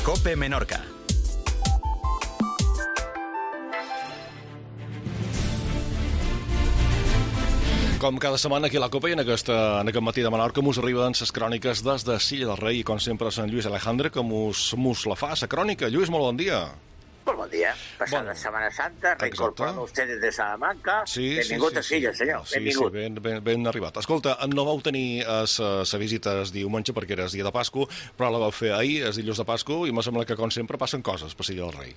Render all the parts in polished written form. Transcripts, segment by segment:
COPE Menorca. Com cada setmana aquí a la COPE i en aquest matí de Menorca mos arriben les cròniques des de Silla del Rei i com sempre Sant Lluís Alejandre que mos la fa, la crònica. Lluís, molt bon dia. Molt bon dia. Passada Setmana Santa, reincorporant ustedes de Salamanca. Benvingut a Silla, senyor. Benvingut. Sí, ben arribat. Escolta, no vau tenir la visita el diumenge perquè era el dia de Pasco, però la vau fer ahir, el dilluns de Pasco, i me sembla que, com sempre, passen coses per Silla del Rei.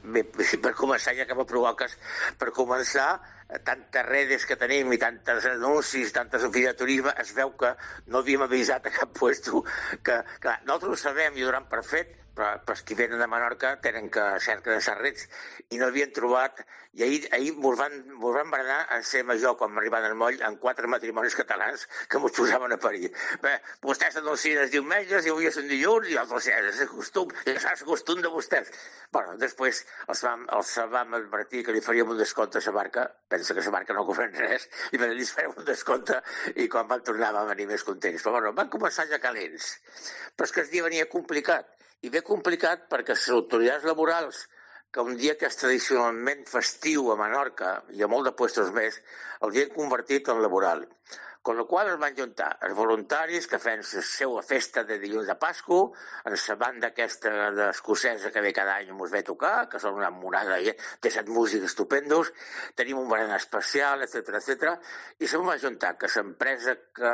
Bé, per començar, ja que me provoques, per començar, tantes redes que tenim i tantes anuncis, tantes oficines de turisme, es veu que no havíem avisat a cap puesto que, clar, nosaltres ho sabem i ho donem per fet, però els que venen de Menorca tenen que cercar de Sarrets i no havien trobat, i ahir mos van berenar en ser major quan arribant al moll en 4 matrimonis catalans que mos posaven a parir. Bé, vostès anuncien els diumenges i avui és un dilluns i els és el costum, és el costum de vostès. Bueno, després els vam advertir que li faríem un descompte a la barca, pensa que la barca no cobren res, i li farem un descompte i quan van tornar vam venir més contents. Però bueno, van començar ja calents. Però és que el dia venia complicat. I bé complicat perquè les autoritats laborals, que un dia que és tradicionalment festiu a Menorca i a molt de puestos més, el havien convertit en laboral. Con la qual es van juntar els voluntaris que feien la seva festa de dilluns de Pasco, en la banda aquesta escocesa que ve cada any mos ve a tocar, que són una monada de 7 músics estupendos, tenim un berenar especial, etc. I se va juntar que l'empresa que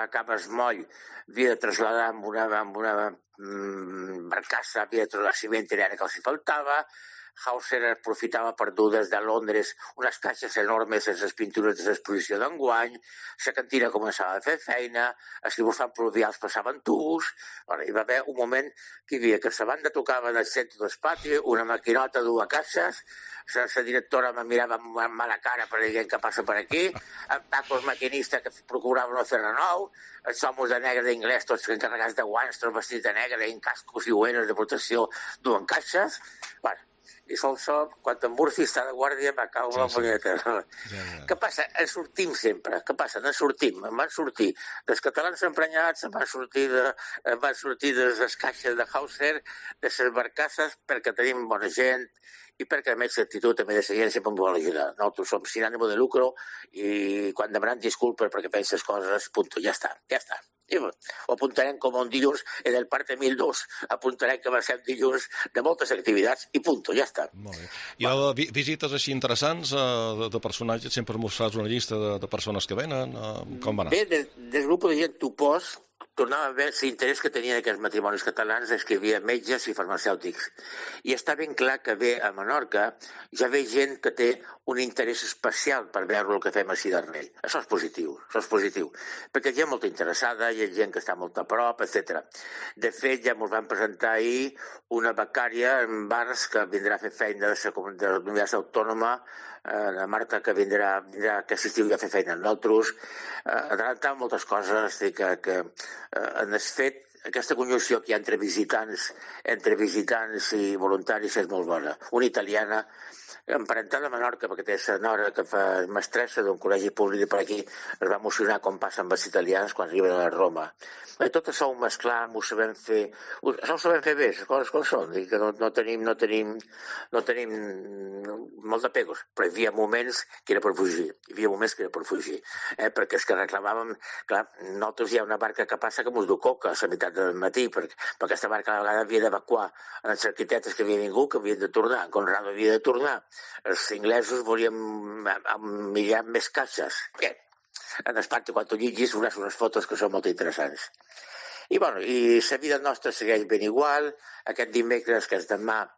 acaba el moll havia de traslladar amb una barcassa, havia de traslladar ciment que els hi faltava. Hauser aprofitava per dur des de Londres unes caixes enormes en les pintures de l'exposició d'enguany, la cantina començava a fer feina, els dibuixants pluvials passaven tubs, hi va haver un moment que hi havia que la banda tocava en el centre del pati, una maquinota, 2 caixes, la directora me mirava amb mala cara per dir què passa per aquí, en Paco, el maquinista, que procurava no fer renou, els homes de negre d'inglès, tots encarregats de guants, tots vestits de negre, en cascos i uenes de protecció, duen caixes, i sol, quan en Murphy està de guàrdia, va caure la punyeta. Què passa? En sortim sempre. Què passa? En sortim. En van sortir dels catalans emprenyats, en van sortir de les caixes de Hauser, de les barcasses, perquè tenim bona gent i perquè, a més, l'actitud també de la gent sempre ens vol ajudar. Nosaltres som sin ànimo de lucro i quan demanem disculpes perquè fem les coses, punto, ja està. I ho apuntarem com un dilluns en el parte 1002, apuntarem que va ser un dilluns de moltes activitats i punto, ja està. Molt bé. Hi ha visites així interessants de personatges, sempre mos fas una llista de persones que venen, com va anar? Bé, del grup de gent Tupós tornava a veure l'interès que tenien aquests matrimonis catalans, és que hi havia metges i farmacèutics. I està ben clar que ve a Menorca ja ve gent que té un interès especial per veure el que fem a Silla del Rei. Això és positiu, perquè hi ha gent molt interessada, hi ha gent que està molt a prop, etc. De fet, ja ens van presentar ahir una becària en bars que vindrà a fer feina de la Universitat Autònoma, la Marta, que vindrà aquest estiu ja a fer feina amb nosaltres, adelantar moltes coses, que en el fet, aquesta conjunció que hi ha entre visitants i voluntaris és molt bona. Una italiana, emparentada a Menorca, perquè té la nora que fa mestressa d'un col·legi públic per aquí, es va emocionar com passa amb els italians quan arriben a Roma. Tot això ho mesclam, ho sabem fer bé, les coses com són, i que no tenim molt de pegos, però hi havia moments que era per fugir, perquè és que reclamàvem, clar, nosaltres hi ha una barca que passa que mos du coca a la meitat del matí, perquè aquesta barca a la vegada havia d'evacuar els arquitectes que havien vingut, que havien de tornar, Conrado havia de tornar, els inglesos volien millar més caixes. Bé, en el pati, quan ho llegis, unes fotos que són molt interessants. I la vida nostra segueix ben igual. Aquest dimecres, que és demà,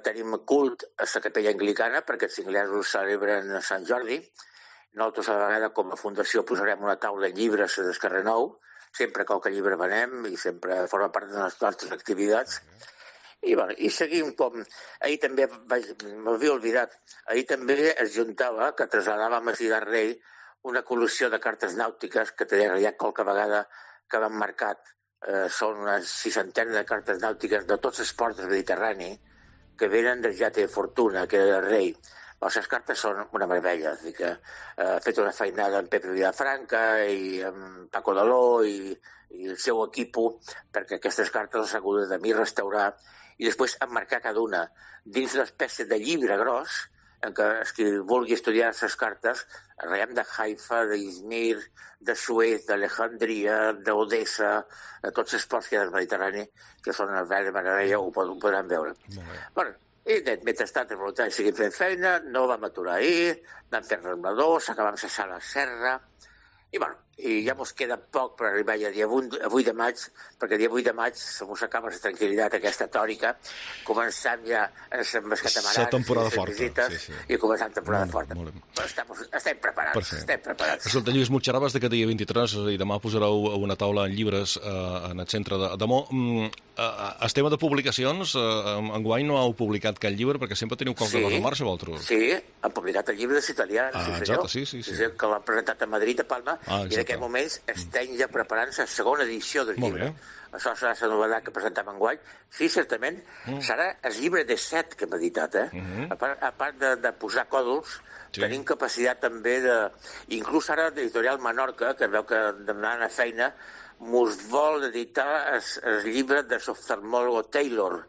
tenim cult a la capella anglicana, perquè els inglesos celebren Sant Jordi. Nosaltres, a la vegada, com a fundació, posarem una taula de llibres a Descarrer Nou, sempre que qualque llibre venem i sempre forma part de les nostres activitats. I seguim com... Ahir també, m'havia oblidat, ahir també es juntava, que traslladàvem a Silla del Rei, una col·lecció de cartes nàutiques que ja qualque vegada que van marcat. Són una 60 de cartes nàutiques de tots els ports del Mediterrani que venen del Yate de Fortuna, que era el rei. Les cartes són una meravella, és a dir que he fet una feinada amb Pepe Vilafranca i amb Paco Daló i el seu equip perquè aquestes cartes les ha hagut de mi restaurar i després emmarcar cada una dins una espècie de llibre gros en què qui vulgui estudiar les cartes, raiem de Haifa, d'Izmir, de Suez, d'Alejandria, d'Odessa, de tots els ports que hi ha del Mediterrani, que són una bella meravella, ho podran veure. Bueno, i mentrestant els voluntaris seguim fent feina, no vam aturar ahir, vam fer rembladors, acabam cessar la serra, i bueno, i ja mos queda poc per arribar ja dia 8 de maig, perquè el dia 8 de maig se mos acaba la tranquil·litat aquesta tòrica, començant ja amb els catamarans, la temporada forta, visites, i començant temporada forta. Però estem preparats, Escolta, Lluís, m'observaves que dia 23 i demà posareu una taula en llibres en el centre de Mo. El tema de publicacions, enguany no heu publicat cap llibre, perquè sempre teniu qualque cosa en marxa, vosaltres? Sí, han publicat el llibre dels italians, exacte, sí. Que l'han presentat a Madrid, a Palma, i en aquests moments estem ja preparant la segona edició del llibre. Això serà la novetat que presentem enguany. Sí, certament, serà el llibre de 7 que hem editat, A part de posar còdols, tenim capacitat també de... Inclús ara l'editorial Menorca, que veu que demanant a feina, mos vol editar el llibre de l'oftalmòlogo Taylor,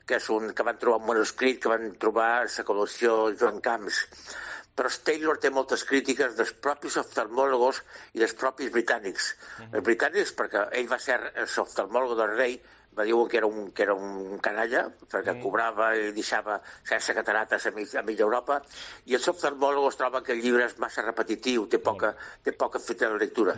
que és un que van trobar un manuscrit que van trobar a la col·lecció Joan Camps. Però Taylor té moltes crítiques dels propis oftalmòlogos i dels propis britànics. Els britànics, perquè ell va ser l'oftalmòlogo del rei, va dir que era un canalla, perquè cobrava i deixava sense catarates a mitja Europa, i els oftalmòlogos troben que el llibre és massa repetitiu, té poca fita de lectura.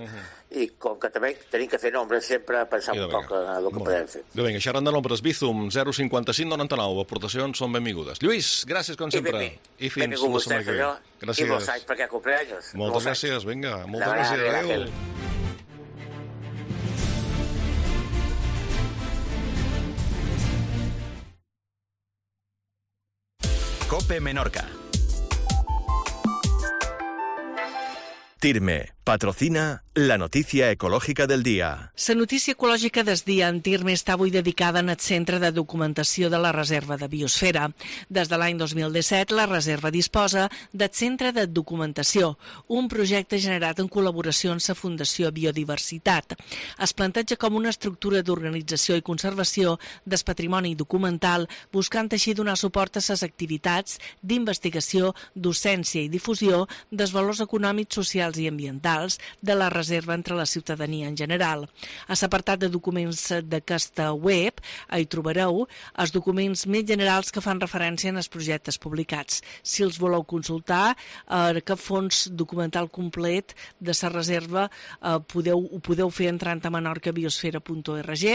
I com que també tenim que fer nombres, sempre pensar un poc en el que podem fer. Vinga, xerrant de nombres, Bizum, 055 99, aportacions són benvingudes. Lluís, gràcies com sempre. I fins la setmana que ve. Gràcies. I molts anys perquè cumpleaños. Moltes gràcies, vinga, moltes gràcies. Adéu. COPE Menorca. Tirme patrocina la notícia ecològica del dia. La notícia ecològica del dia en Tirme està avui dedicada al Centre de Documentació de la Reserva de Biosfera. Des de l'any 2017, la reserva disposa del Centre de Documentació, un projecte generat en col·laboració amb la Fundació Biodiversitat. Es planteja com una estructura d'organització i conservació del patrimoni documental, buscant així donar suport a les activitats d'investigació, docència i difusió dels valors econòmics, socials i ambientals de la reserva entre la ciutadania en general. A l'apartat de documents d'aquesta web hi trobareu els documents més generals que fan referència als projectes publicats. Si els voleu consultar, aquest fons documental complet de la reserva ho podeu fer entrant a menorcabiosfera.org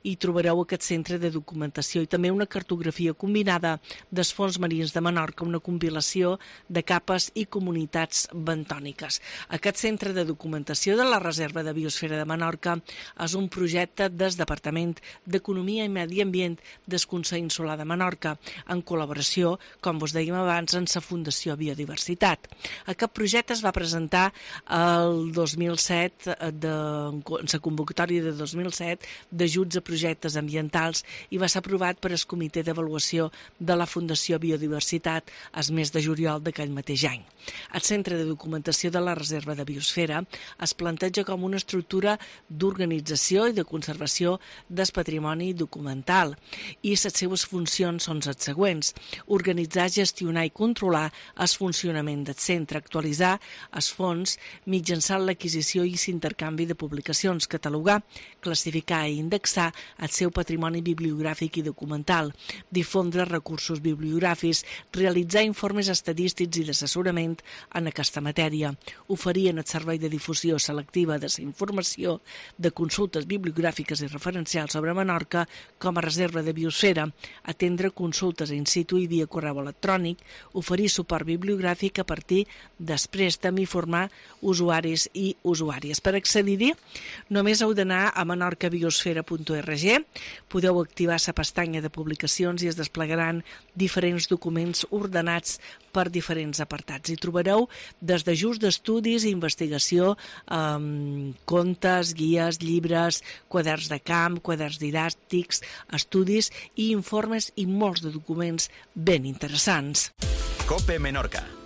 i trobareu aquest centre de documentació i també una cartografia combinada dels fons marins de Menorca, una compilació de capes i comunitats bentòniques. Aquest centre de documentació de la Reserva de Biosfera de Menorca és un projecte del Departament d'Economia i Medi Ambient del Consell Insular de Menorca, en col·laboració, com vos dèiem abans, amb la Fundació Biodiversitat. Aquest projecte es va presentar el 2007, en la convocatòria de 2007 d'ajuts a projectes ambientals i va ser aprovat per el Comitè d'Avaluació de la Fundació Biodiversitat el mes de juliol d'aquell mateix any. El Centre de Documentació de la Reserva de Biosfera es planteja com una estructura d'organització i de conservació del patrimoni documental i les seves funcions són les següents: organitzar, gestionar i controlar el funcionament del centre, actualitzar els fons mitjançant l'adquisició i l'intercanvi de publicacions, catalogar, classificar i indexar el seu patrimoni bibliogràfic i documental, difondre recursos bibliogràfics, realitzar informes estadístics i d'assessorament en aquesta matèria, oferir en el servei de difusió selectiva de la informació de consultes bibliogràfiques i referencials sobre Menorca com a reserva de biosfera, atendre consultes in situ i via correu electrònic, oferir suport bibliogràfic a partir del préstec i formar usuaris i usuàries. Per accedir-hi, només heu d'anar a menorcabiosfera.org, podeu activar la pestanya de publicacions i es desplegaran diferents documents ordenats per diferents apartats. Hi trobareu des d'ajust d'estudis i investigació, contes, guies, llibres, quaderns de camp, quaderns didàctics, estudis i informes i molts de documents ben interessants. COPE Menorca.